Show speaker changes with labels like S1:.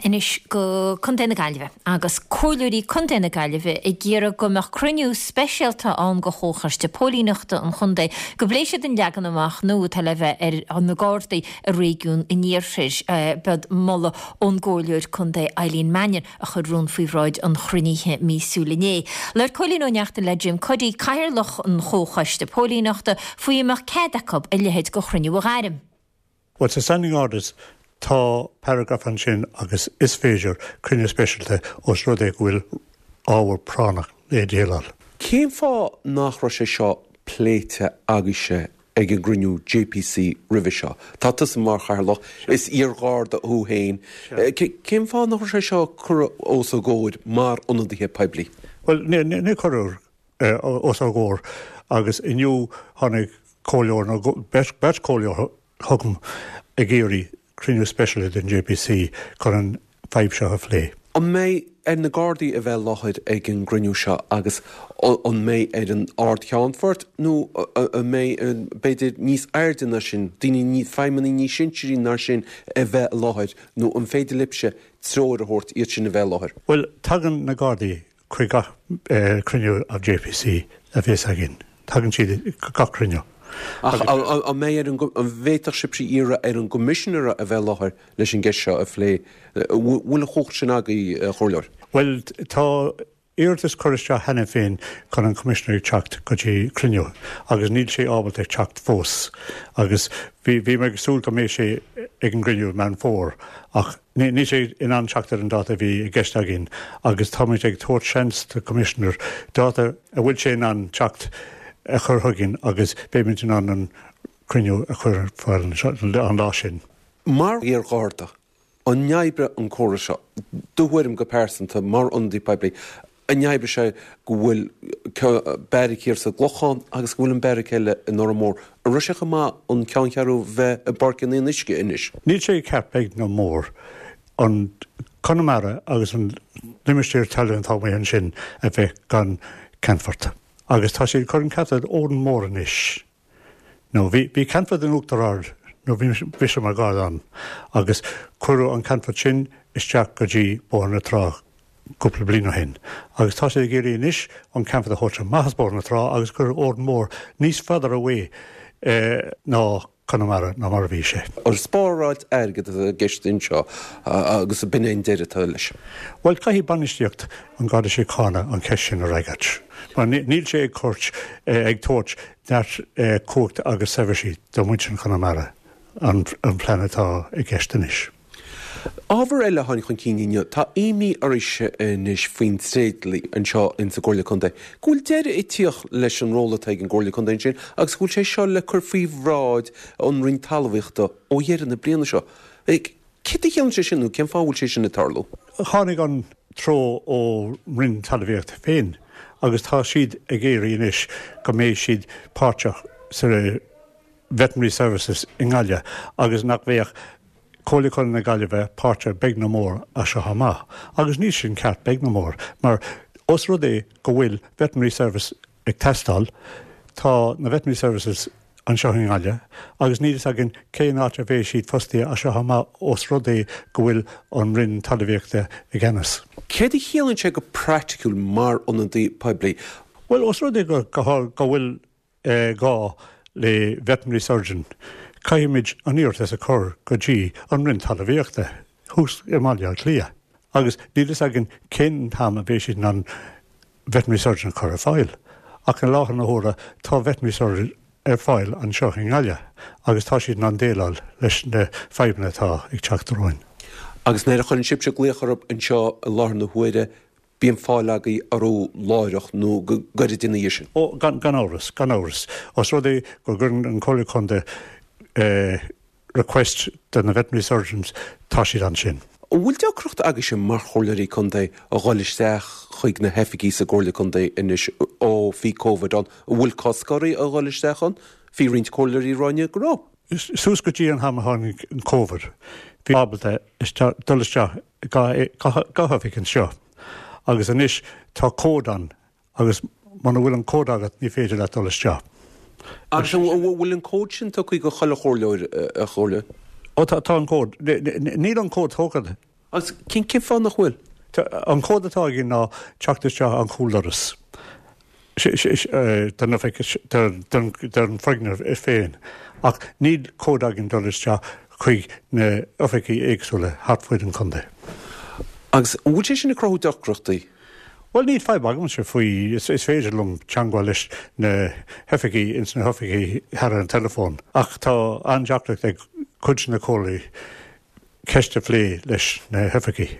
S1: Anois go Contae na Gaillimhe agus Comhairleoirí Contae na Gaillimhe ag iarraidh go mbeadh cruinniú speisialta ann de Chomhchoiste Póilíneachta an chontae go bpléifidh siad an leagan amach nua atá le bheith ar na Gardaí i réigiún an Iarthair. B'iod moladh ón gComhairleoir Contae Eileen Mannion a chuir rún faoi bhráid an chruinnithe míosúil inné. Labhair Cóilín Ó Neachtain le Jim Cuddy, Cathaoirleach an Chomhchoiste Póilíneachta, faoi an mbeadh cead acu a leithéid de chruinniú a ghairm.
S2: Bhuel, sa Standing Orders tá paragraf ansin agus is féidir cruinniú speisialta os rud é go bhfuil ábhar práinneach le déileáil.
S3: Cén fáth nach raibh sé seo pléite agaibhse ag an gcruinniú JPC roimhe seo? Tá tusa mar chathaoirleach, is iar-Gharda thú féin. Cén fáth nach raibh sé seo curtha os a gcomhair mar ionadaithe poiblí?
S2: Bhuel, ní cuireadh os ár gcomhair agus inniu tháinig comhairleoir nó beirt chomhairleoir chugam ag iarraidh cruinniú speisialta den JPC chun an fadhb seo a phlé.
S3: An mbeidh ar na Gardaí a bheith i láthair ag an gcruinniú seo agus an mbeidh ar an Ard-Cheannfort nó an mbeidh b'fhéidir níos airde ná sin, daoine, feidhmeannaigh níos sinsearaí ná sin a bheith i láthair nó an féidir libhse treoir a thabhairt iad sin a bheith i láthair?
S2: Bhuel, tagann na Gardaí chuig gach cruinniú of JPC a bheas againn. Tagann siad go gach cruinniú.
S3: Ach an mbeidh ar an, an bhféadfadh sibhse iarraidh ar an gCoimisinéir a bheith i láthair leis an gceist seo a phlé? Bhfuil an chumhacht sin agaibh, a Chomhairleoir?
S2: Bhuel, tá iarratas curtha isteach cheana féin chun an Coimisinéir teacht go dtí cruinniú agus níl sé ábalta teacht fós. Agus bhí, bhí mé ag súil go mbeidh sé ag an gcruinniú i Meán Fómhair ach Níl sé in ann teacht ar an dáta a bhí i gceist againn agus táimid ag tabhairt seans do Commissioner dáta a bhfuil sé in ann teacht a chur chugainn agus beimid in ann an cruinniú a chur ar fáil an lá sin.
S3: Mar iar-Gharda, an oibreoidh an córas seo, do thuairim go pearsanta, mar ionadaí poiblí, An oibreoidh sé go bhfuil beairic thiar sa gClochán agus go bhfuil an beairic eile in Órán Mór? An raibh sé chomh maith an ceanncheathrú bheith i bPáirc an Fhionnuisce anois?
S2: Níl sé ceart beag ná mór an Conamara agus an limistéar talún atá amuigh ansin a bheith gan ceannfort. Agus tá siad ag cur an ceannfort Órán Mór anois. Nó bhí bhí ceannfort in Uachtar Ard nuair bhí mise mar Gharda ann agus cuireadh an ceannfort sin isteach go dtí Bóthar na Trá cúpla bliain ó shin agus tá siad ag iarraidh anois an ceannfort a thabhairt amach as Bóthar na Trá agus cur Órán Mór níos further away ná Conamara ná mar a bhí sé.
S3: An spáráil airgid atá i gceist anseo agus b'in é an deireadh atá leis.
S2: Bhuel, caithfidh bainistíocht an Gharda Síochána an cheist sin a fhreagairt. Mar níl sé ag cur, ag tabhairt neart cumhacht agus seirbhísí do mhuintir Chonamara, an plean atá i gceist anois.
S3: Ábhar eile a tháinig chun cinn inniu, tá imní oraibhse anois faoin tréidlia anseo insa gComhairle Contae, go bhfuil deireadh ag tíocht leis an ról atá ag an gComhairle Contae ansin agus go bhfuil sé seo le cur faoi bhráid an Roinn Talmhaíochta ó dheireadh na bliana seo. Céard a chiallaíonn sé sin nó cén fáth a bhfuil sé sin ag tarlú?
S2: Tháinig an treo ó Roinn Talmhaíochta féin agus tá siad ag iarraidh anois go mbeidh siad páirteach sa Veterinary Services i nGaillimh agus nach bheadh Comhairle Contae na Gaillimhe páirteach beag nó mór as seo amach. Agus níl sin ceart beag nó mór mar os rud é go bhfuil Veterinary Service ag teastáil, tá na Veterinary Services anseo i nGaillimh agus níl fhios againn cén áit a bheidh siad fostaithe as seo amach os rud é go bhfuil an Roinn Talmhaíochta i gceannas.
S3: Céard a chiallaíonn sé go praiticiúil mar ionadaí poiblí?
S2: Bhuel, os rud é go bhfuil gá le veterinary surgeon, caithfimid an iarratas a chur go dtí an Roinn Talmhaíochta thuas i mBaile Átha Cliath agus níl fhios againn cén t-am a bheidh siad in ann veterinary surgeon a chur ar fáil. Ach i láthair na huaire tá veterinary surgeon ar fáil anseo i nGaillimh agus tá siad in ann déileáil leis na fadhbanna atá ag teacht romhainn.
S3: Agus nuair a chuireann sibhse glaoch orthu anseo i láthair na huaire, Bíonn fáil agaibh orthu láithreach nó go gairid ina dhiaidh sin.
S2: Ó, gan amhras, gan amhras. Os rud é go gcuireann an Comhairle Contae request do na veterinary surgeons, tá siad ansin.
S3: An bhfuil deacracht agaibhse mar Chomhairleoirí Contae a dhul isteach chuig na hoifigí sa gComhairle Contae anois ó bhí Covid ann? An bhfuil cosc oraibh a dhul isteach ann? Bhí roinnt Comhairleoirí ag rá inniu go raibh.
S2: Suas go dtí an t-am a tháinig an Covid, bhí ábalta dul isteach gach oifig anseo agus anois tá cód ann agus muna bhfuil an cód agat ní féidir leat dul isteach.
S3: Agus an bhfuil an cód sin tugtha go chuile chomhairleoir, a chomhairleoir?
S2: Ó tá, tá an cód. Níl an cód tógtha.
S3: Agus cén cén fáth nach bhfuil?
S2: An cód atá againn ná teacht isteach an chúldoras don oifig, don foirgneamh féin ach níl cód againn dul isteach chuig na oifigí éagsúla thart fuaid an chontae.
S3: Agus an bhfuil sé sin ag cruthú deacrachtaí?
S2: Bhuel níl fadhb agamsa faoi, is féidir liom teangmháil leis na hoifigí ins na hoifigí thar an teileafón ach tá an-deacracht ag cuid de na comhairleoirí ceist a phlé leis na hoifigí.